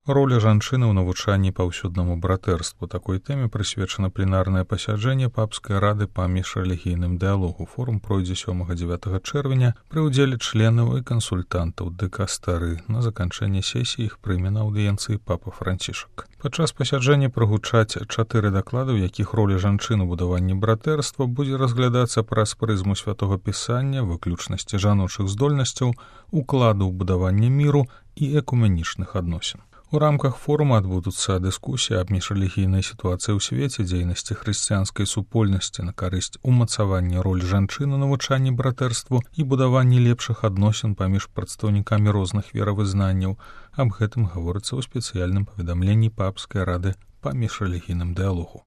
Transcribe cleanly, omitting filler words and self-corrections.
Роля жанчыны ў навучанні паўсюднаму братэрству. Такой тэме прысвечана пленарнае пасяджэнне папскай рады па міжрэлігійным дыялогу. Форум пройдзе 7-9 чэрвеня пры ўдзеле членаў і кансультантаў дыкастары. На заканчэнне сесіі іх прыме на аўдыенцыі папа Францішак. Падчас пасяджэння прагучаць 4 даклады, у якіх роля жанчын у будаванні братэрства будзе разглядацца праз прызму святога пісання, выключнасці жаночых здольнасцяў, укладу ў будаванне міру і экуменічных адносін. У рамках форума адбудуцца дыскусіі аб міжрэлігійнай сітуацыі ў свеце, дзейнасці хрысціянскай супольнасці на карысць умацавання роль жанчын у навучанні братэрству і будаванні лепшых адносін паміж прадстаўнікамі розных веравызнанняў. Аб гэтым гаворыцца ў спецыяльным паведамленні папскай рады па міжрэлігійным дыялогу.